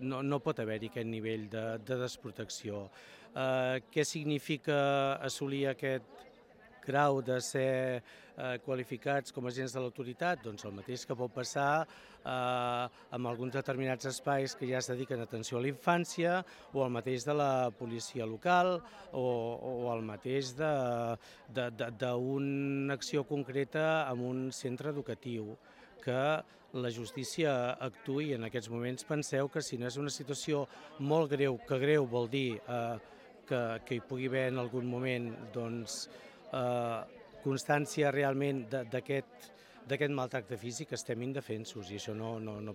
no pot haver-hi aquest nivell de desprotecció. Què significa assolir aquest grau de ser qualificats com a agents de l'autoritat? Doncs el mateix que pot passar amb alguns determinats espais que ja es dediquen a atenció a la infància, o el mateix de la policia local, o el mateix d'una acció concreta en un centre educatiu, que la justícia actuï. En aquests moments penseu que si no és una situació molt greu, que greu vol dir que hi pugui haver en algun moment constància realment d'aquest maltracte físic, estem indefensos, i això no